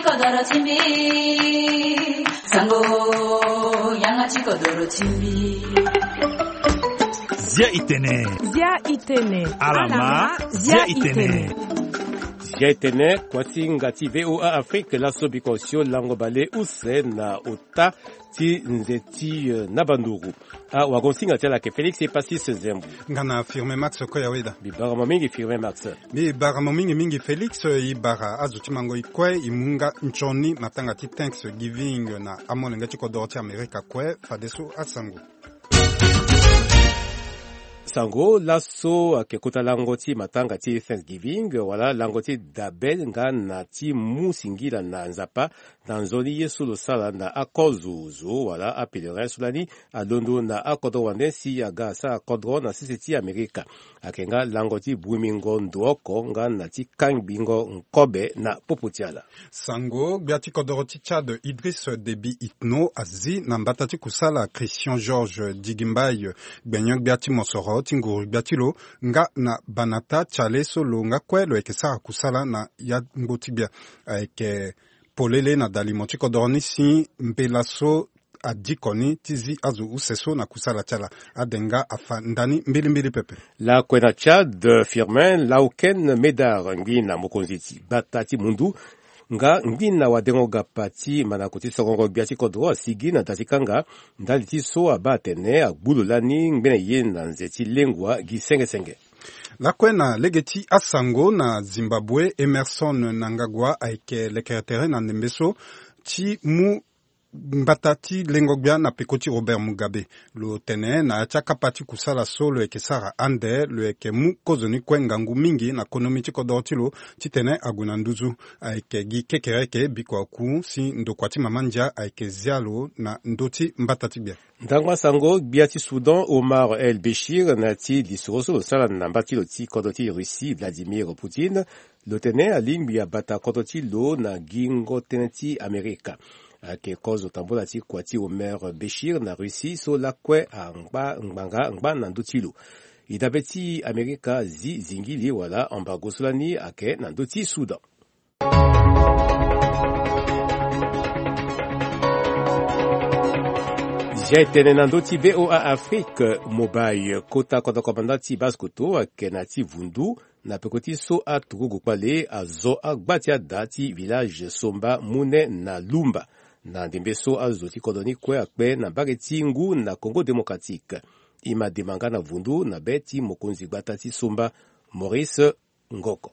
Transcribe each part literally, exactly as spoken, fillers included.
Kodoro ti mbi, sango, yanga ti kodoro ti mbi. Zia itene. Zia itene. Alama, zia itene. Zia itene, kuâ ti hinga ti V O A Afrique, laso biko si olango bale use na ota ti nze ti, eh, na banduru. Ah, wagonsinga ti ala ayeke Félix Epasis Nzembo. Nga na Firmin Max Koyaweda. Mbi bara mo mingi, Firmin Max. Mbi bara mo mingi mingi, Félix. E bara azo ti mango e kue, e mu nga nzoni matanga ti Thanksgiving na amolenge ti kodoro ti Amerika kue, fadeso asango. Sango, laso ayeke kota lango ti matanga ti Thanksgiving, wala lango ti dabe nga na ti mu singila na Nzapa, na nzoni ye so lo sara na akozo zo wala apèlerin so lani alondo na akodro wande si aga asara kodro na sese ti Amerika. Ayeke nga lango ti bwimingo ndo oko nga na ti kangbingo nkobe na popo ti ala. Sango, gbia ti kodoro ti Tchad, Idriss Déby Itno, azi na mbata ti kusala Christian Georges Djigimbaye, gbenyo-gbia ti mosoro ti nguru-gbia ti lo, nga na Banata Tchale so lo nga kue lo yeke sara kusala na yangbo ti gbia. Ayeke polele na dalimo ti kodoro ni si mbela so adiko ni ti zi azo use so na kusala ti ala. Ade nga afa ndani mbilimbili pepe. Lakue na Tchad, Firmin Lauken Médard, ngbi na mokonzi ti gbata ti mundu, nga ngbi na wadengo gapa ti manako ti sorongo gbia ti kodro, asigi na da ti kanga ndali ti so abaa atene agbu lo lani ngbene ye na nze ti lengua gi senge senge. Lakue na lege ti asango, na Zimbabwe, Emerson Mnangagwa ayeke lekere tere na ndembe so ti mu mbata ti lengo gbia na peko ti Robert Mugabe. Lo tene na ya ti akapa ti kusala so lo yeke sara ande, lo yeke mu kozoni kue ngangu mingi na konomi ti kodoro ti lo, titene ague na nduzu. Ayeke gi kekereke biko aku si ndokua ti mama ndia ayeke zia lo na ndö ti mbata ti gbia. Ndangba sango, gbia ti Soudan, Omar El Béchir, na ya ti lisoro so lo sara na mba ti lo ti kodro ti Russie, Vladimir Poutine, lo tene alingbi abata kodro ti lo na gingo tënë ti Amerika. Ayeke kozo tambula ti kua ti Omar Béchir na Russie so lakue angba ngbanga ngba na ndö ti lo. E dabe ti Amerika azi zingili wala embargo so lani ayeke na ndö ti Soudan. Zia e tene na ndö ti V O A Afrique, Mobile, kota kodro komanda ti Basse-Kotto ayeke na ya ti vundu na peko ti so aturugu kpale azo agba ti ada ti village Somba, Mune na Lumba, na ndembe so azo ti kodro ni kue akpe na mbage ti ngu na Congo Démocratique. E ma dema nga na vundu na be ti mokonzi gbata ti Somba, Maurice Ngoko.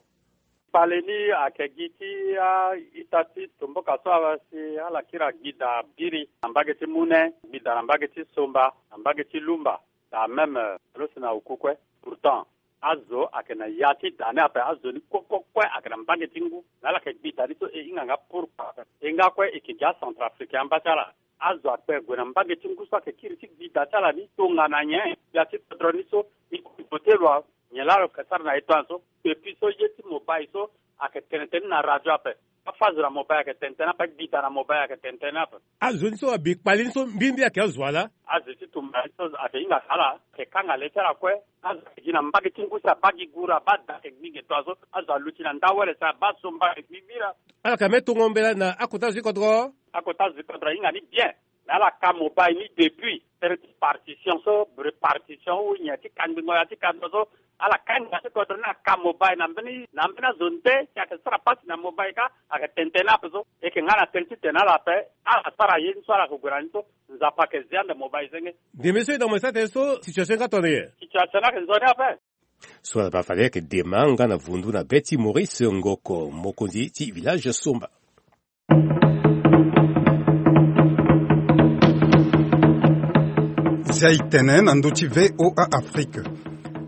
Kpale ni ayeke gi ti a-ita ti tomboka so asi ala kiri agbida biri na mbage ti Mune, agbida na mbage ti Somba, na mbage ti Lumba, daa même, euh, lo si na oku kue. Pourtant, azo ayeke na ya ti da ni ape, azo ni kue kue kue ayeke na mbage ti ngu. Na ala yeke gbida ni so e hinga nga pourquoi ape. E nga kue e yeke gi acentrafricain amba ti ala. Azo akpe gue na mbage ti ngu so ayeke kiri ti gbida ti ala ni tongana nyen? Gbia ti kodro ni so e kue e vote loi, nyen laa lo yeke sara na e tongaso? Depuis so ye ti mobile so ayeke tene tënë ni na radio ape. Afa azo na mobile ayeke tene tënë ape, agbida na mobile ayeke tene tënë ape. Azo ni so abi kpale ni so mbirimbiri ayeke azo wa laa? Azo ti tumba ni so ayeke hinga na ala, ayeke kanga le ti ala kue. Azo ayeke gi na mbage ti ngu si abaa gi guru, abaa da ayeke gbi ge tongaso. Azo aluti na nda wele si abaa somba ayeke gbi bira. Ala yeke me tongo mbela na akota azo ti kodro? Akota azo ti kodro ahinga ni bien. Na ala ka mobile ni depuis. Tënë ti partition so, répartition ou nyen ti kangbingo ya ti kando so, ala ka hinga ti kodro ni aka mobile na mbeni, na mbeni azo nde si ayeke sara pasi na mobile ka, ayeke tene tënë ape so. E yeke nga na tënë ti tene ala ape, ala sara ye ni so ala yeke gue na ni so, Nzapa ayeke zia ande mobile senge. Ndembe so e na mo e sara tene so, situation ni nga tongana nyen? Situation ni ayeke nzoni ape. So ala baa fade ayeke dema nga na vundu na be ti Maurice Ngoko, mokonzi ti village Somba. Zia e tene na ndö ti V O A Afrique.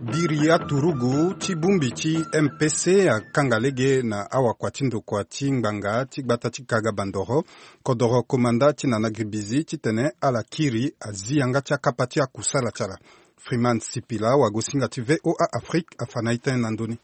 Biri aturugu ti bongbi ti M P C akanga lege na awakua ti ndokua ti ngbanga ti gbata ti Kaga Bandoro, kodoro komanda ti Nana Gribizi, titene ala kiri azi yanga ti akapa ti akusala ti ala. Freeman Sipila, wagosinga ti V O A Afrique, afa na e tënë na ndö ni.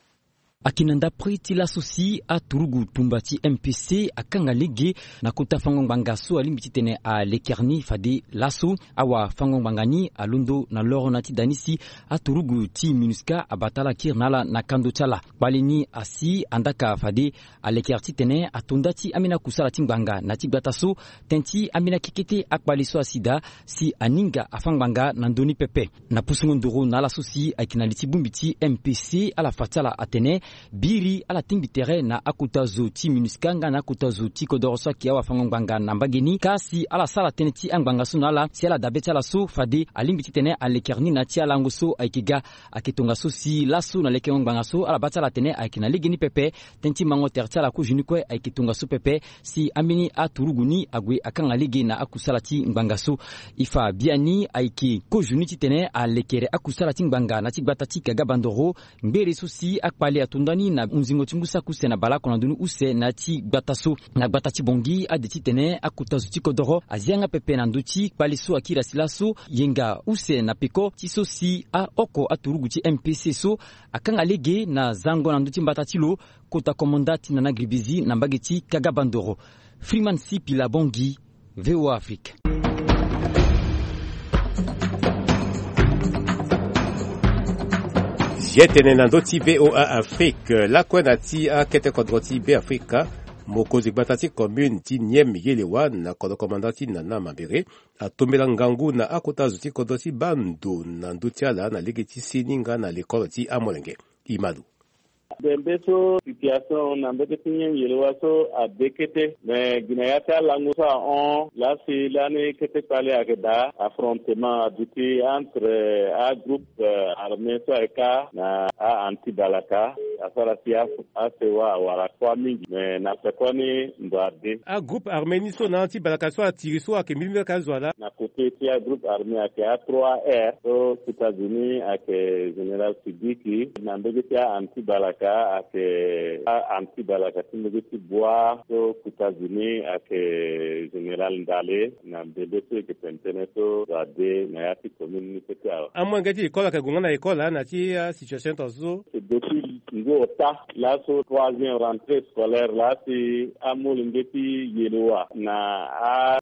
Ayeke na ndapre ti laso si aturugu tumba ti M P C akanga lege na kota fango ngbanga so alingbi titene alekere ni fade laso awafango ngbanga ni alondo na loro na ti da ni si aturugu ti MINUSCA abata ala kiri na ala na kando ti ala. Kpale ni asi andaka fade alekere titene ato nda ti ambeni akusala ti ngbanga na ti gbata so, tënë ti ambeni akekete akpale so asi daa si aninga afâ ngbanga na ndö ni pepe. Na pusungo nduru na ala so si ayeke na li ti bongbi ti M P C, ala fa ti ala atene biri ala tingbi tere na akota zo ti MINUSCA nga na akota zo ti kodoro so ayeke awafango ngbanga na mbage ni, ka si ala sara tënë ti angbanga so na ala si ala dabe ti ala so fade alingbi titene alekere ni na ti alango so ayeke ga. Ayeke tongaso si laso na lekengo ngbanga so ala baa ti ala atene ayeke na legeni pepe. Tënë ti mango tere ti ala kozo ni kue ayeke tongaso pepe si ambeni aturugu ni ague akanga lege na akusala ti ngbanga so. E fa biani ayeke kozo ni titene alekere akusala ti ngbanga na ti gbata ti Kaga Bandoro, ngbere so si akpale ato nda ni na hunzingo ti ngu saki use na baleoko na ndö ni use na ya ti gbata so. Na gbata ti Bangui ade titene akota zo ti kodoro azi yanga pepe na ndö ti kpale so akiri asi laso yenga use na peko ti so si aoko aturugu ti M P C so akanga lege na zango na ndö ti mbata ti lo, kota komanda ti Nana Gribizi na mbage ti Kaga Bandoro. Freeman Sipila Bangui, V O A Afrique. Zia tene na ndö ti V O A Afrique lakue na ti akete kodro ti Beafrika, mokonzi gbata ti commune ti Niem Yelewa na kodro komanda ti Nana Mambere atombela ngangu na akota zo ti kodro ti baa ndo na ndö ti ala na lege ti seni nga na lekole ti amolenge. Imadu. Bembe so situation na mbege ti Niem Yelewa so ade kete, me gi na ya ti alango so ahon lasi lani kete kpale ayeke daa, affrontement aduti entre agroupe armé so ayeke kâ na a-anti-balaka. Asara si asewa awara kuâ mingi, me na pekoni ndo ade. Agroupe armé ni so na anti-balaka so atiri so ayeke mbirimbiri ayeke azo ala? Na côté ti agroupe armé ayeke a-trois R so kota zo ni ayeke général Sidiki, na mbege ti a-anti-balaka ayeke a-anti-balaka ti mbege ti Boi so kota zo ni ayeke général Ndale. Na mbembe so e yeke tene tënë so ndo ade na ya ti commune ni kete awe. Amolenge ti école ayeke gue nga na école na ya ti asituation tongaso so? Depuis ngu ota laso troisième rentrée scolaire lasi amolenge ti Yelewa na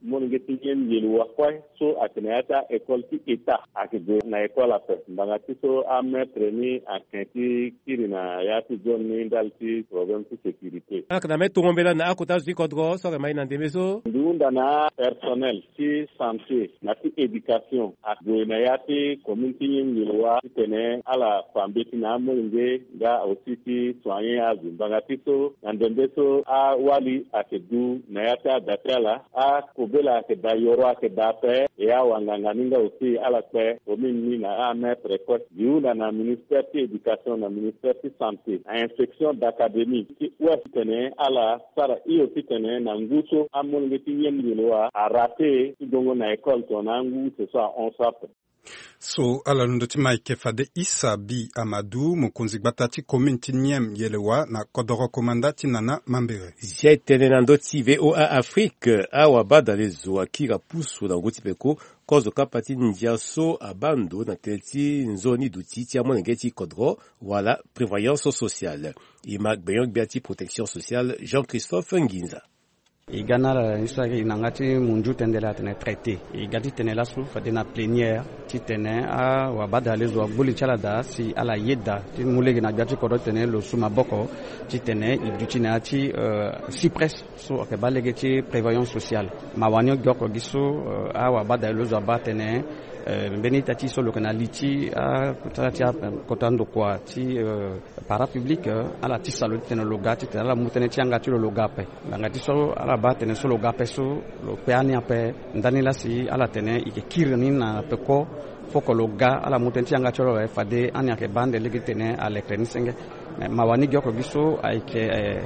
amolenge ti Niem Yelewa kue so ayeke na ya ti a-école ti état ayeke gue na école ape. Ngbanga ti so amaître ni ayeke ti kiri na ya ti zone ni ndali ti problème ti sécurité. Ala yeke na mbeni tongo mbela na akota zo ti kodro so ayeke ma e na ndembe so? Mbi hunda na apersonnel ti santé na ti éducation ague na ya ti commune ti Niem Yelewa titene ala fa mbeti na amolenge nga aussi ti soigner azo. Ngbanga ti so na ndembe so awali ayeke du na ya ti ada ti ala, akobela ayeke daa, yoro ayeke daa ape, e awanganga ni nga aussi ala kpe commune ni na amaître kue. Mbi hunda na ministère ti éducation na ministère ti santé na inspection d'académie ti ouest titene ala sara hio titene na ngu so amolenge ti Niem Yelewa araté ti gongo na école tongana angu use so ahon so ape. So ala londo ti Mike fade Issa Bi Amadou, mokonzi gbata ti commune ti Niem Yelewa na kodoro komanda ti Nana Mambere. Zia e tene na ndö ti V O A Afrique, awabadale zo akiri apusu na ngu ti peko kozo kapa ti ndia so abaa ndo na tënë ti nzoni duti ti amolenge ti kodro wala prévoyance sociale. E ma gbenyo-gbia ti protection sociale Jean-Christophe Nginza. E ga na ala ni so ayeke e na yanga ti munju tënë laa atene traité. E ga titene laso fade na plénière titene awabadale zo agbu li ti ala daa si ala yeda ti mu lege na gbia ti kodro titene lo su maboko titene e duti na ya ti cyprès so ayeke baa lege ti prévoyance sociale. Mawa ni ogi oko gi so awabadale lo zo abaa atene mbeni ita ti so lo yeke na li ti akota ti akota ndokua ti parapublic, ala tisa lo titene lo ga titene ala mu tënë ti yanga ti lo lo ga ape. Ngbanga ti so ala baa atene so lo ga ape so lo kpe ani ape. Ndani lasi ala tene e yeke kiri ni na peko. Foko lo ga ala mu tënë ti yanga ti lo awe fade ani ayeke baa ande lege titene alekere ni senge. Me mawa ni gi oko gi so ayeke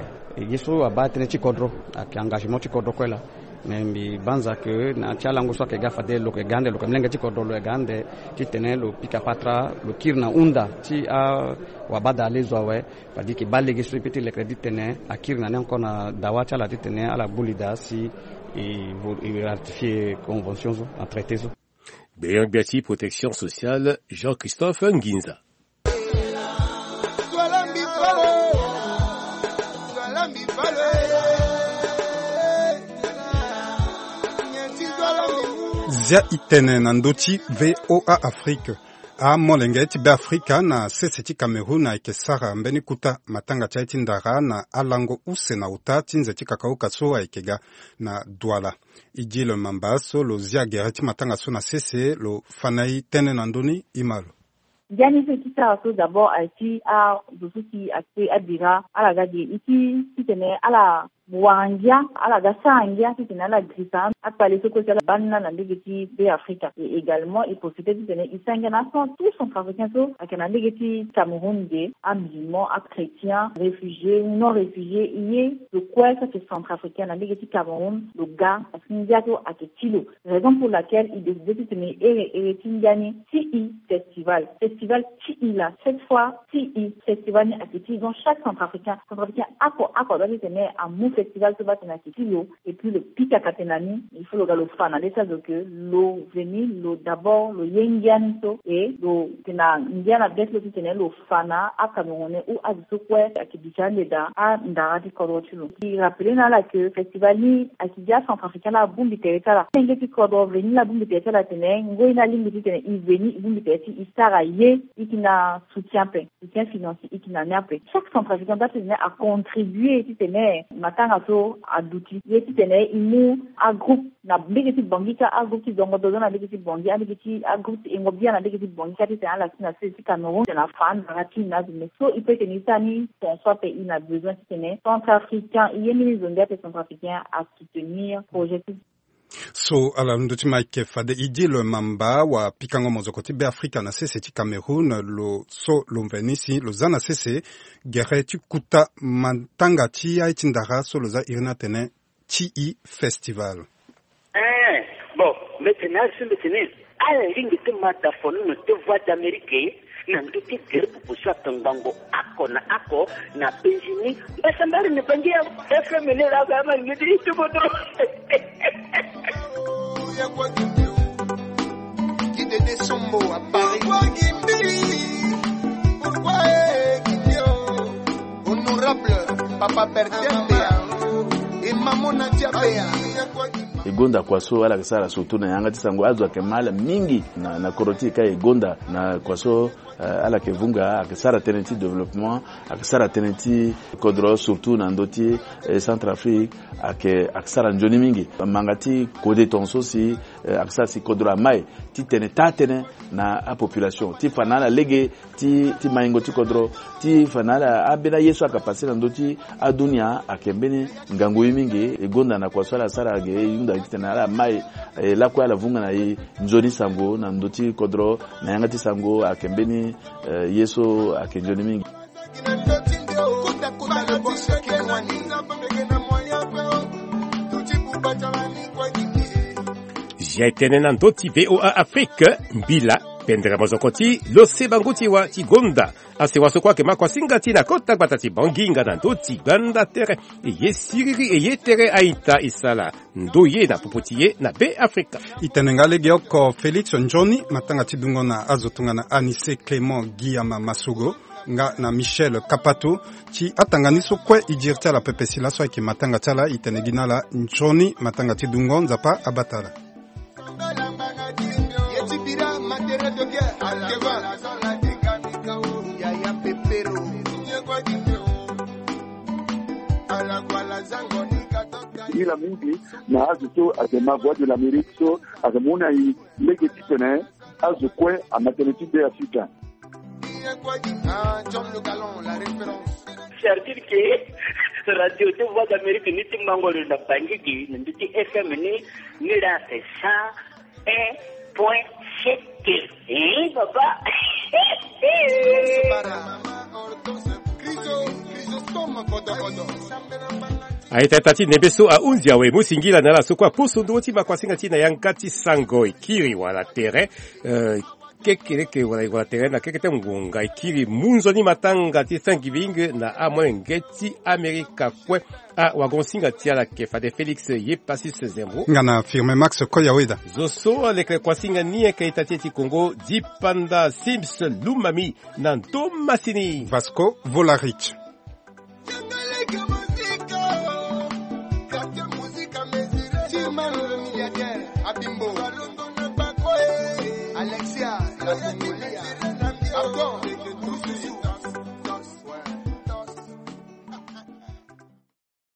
gi so abaa tënë ti kodro, ayeke engagement ti kodro kue laa. Me mbi banza ke na ya ti alango so ayeke ga fade lo yeke ga ande, lo yeke molenge ti kodro, lo yeke ga ande titene lo pika patara, lo kiri na hunda ti awabadale zo awe. Fade e yeke baa lege so e peut ti lekere titene akiri na ni encore na dawa ti ala titene ala gbu li daa si e ratifier convention so na traité so. Gbenyo-gbia ti protection sociale Jean-Christophe Nginza. Zia itene na ndö ti VOA Afrique. Amolenge ti Beafrika na sese ti Cameroun ayeke sara mbeni kuta matanga ti aye ti ndara na alango use na uta ti nze ti kakauka so ayeke ga na Douala. Idil Mamba so lo zia gere ti matanga so na sese lo fa na e tënë na ndö ni. Imalo. Ngia ni so e ti sara so d'abord aye ti azo so si akpe abira ala ga ge e ti titene ala wara ngia, ala ga sara ngia titene ala girisa akpale so kue si ala baa ni na laa na ndege ti Beafrika. Et également e profite titene e sara ngia na aso tout centrafricain so ayeke na ndege ti Cameroun ge, amusulman, achrétien, réfugié ou non réfugié, e ye lo kue so ayeke centrafricain na ndege ti Cameroun lo ga parce que ngia so ayeke ti lo. Raison pour laquelle e décide titene e ere ere ti ngia ni ti e festival. Festival ti e laa, cette fois ti e festival ni ayeke ti e. Donc chaque centrafricain, centrafricain oko oko adoit titene amu festival so baa titene ayeke ti lo. Et puis lo pika ka tene na ni, il faut lo ga lo fa na le ti azo ke lo veni lo d'abord lo ye ngia ni so, et lo tene na ngia na be ti lo titene lo fa na aCamerounais ou azo so kue ayeke duti ande daa andara ti kodro ti lo. E rappeler na ala ke festival ni ayeke gi aCentrafricain laa abongbi tere ti ala. Molenge ti kodro veni laa abongbi tere ti ala tene ngoi ni alingbi titene e veni e bongbi tere ti e sara ye, e yeke na soutien ape, soutien financier e yeke na ni ape. Chaque centrafricain doit titene acontribue titene matanga so aduti ye titene e mu agroupe na ndege ti Bangui kâ, agroupe ti Zongo Dozo na ndege ti Bangui, andege ti agroupe ti Engo Bia na ndege ti Bangui kâ titene ala si na sese ti Cameroun titene afa andara ti e na azo. Mais so e peut titene e sara ni ton so ape e na besoin titene centrafricain, e ye mbeni zo nde ape centrafricain asoutenir projet ti So ala na ndö ti Mike fade Idil Mamba wa pikango mozoko ti Beafrika na sese ti Cameroun, lo so lo mveni si lo za na sese gere ti kuta matanga ti aye ti ndara so lo za iri ni atene ti e festival. Eh, bon, mbi tene azo so mbi tene ala lingbi ti ma da fono na te Voix d'Amérique na ndö ti gere pupu so atongbango oko na oko na Benjini. Mbasambari ni Bangi ya F M ni la ga ma ni ti tubo dro. Kidede Sombo à Paris. Honorable Papa Bertin Bea et Maman Nadia Bea. E gonda kua so ala yeke sara surtout na yanga ti sango, azo ayeke ma ala mingi na, na kodro ti e ka e gonda na kua so, eh, ala yeke vunga, ayeke sara tënë ti développement, ayeke sara tënë ti kodro surtout na ndö ti, eh, Centrafrique, ayeke, ayeke sara nzoni mingi. Manga ti kode tongaso si, eh, ayeke sara si kodro amai titene taa tënë na apopulation ti fa na ala lege ti, ti maingo ti kodro, ti fa na ala ambeni aye so ayeke passe na ndö ti adunia ayeke mbeni ngangu ye mingi. E gonda na kua so ala sara ge e hunda titene ala mai, eh, lakue ala vunga na e nzoni sango na ndö ti kodro na yanga ti sango ayeke mbeni, eh, ye so ayeke nzoni mingi. Zia e tene na ndö ti VOA Afrique, mbila pendere mozoko ti lo se bango ti wa ti gonda. Asewa so kue ayeke ma kuasinga ti na kota gbata ti Bangui nga na ndö ti gbanda tere. E ye siriri e ye tere a-ita e sala ndo ye na popo ti ye na Beafrika. E tene nga legeoko Félix Nzoni, matanga ti dungo na azo tongana Anissé Clément Guillama Massogo nga na Michel Kapato. Ti atanga ni so kue e diri ti ala pepe si laso ayeke matanga ti ala. E tene gi na ala nzoni matanga ti dungo, Nzapa abata ala. Ila mingi na azo so ayeke ma Voix de l'Amérique so ayeke mu na e lege titene azo kue ama tënë ti Beafrika. C'est-à-dire que radio ti Voix d'Amérique ni ti mango lo na Bangui gi na ndö ti F M ni, ni la c'est cent un point sept. Eh, papa. A-ita ti nembe so ahunzi awe, mu singila na ala so kue aposo ndö ti ma kuasinga ti na yanga ti sango. E kiri wala tere, eh, kekereke wala, wala tere na keke ti ngonga e kiri mu nzoni matanga ti Thanksgiving na amolenge ti Amerika kue. Awagonsinga ti ala ayeke fade Félix Yepasis Zembo nga na Firmin Max Koyaweda. Zo so aleke kuasinga ni ayeke ita ti e ti Congo, Dipanda Sims Lumami na ndo masini. Vasco Volarich.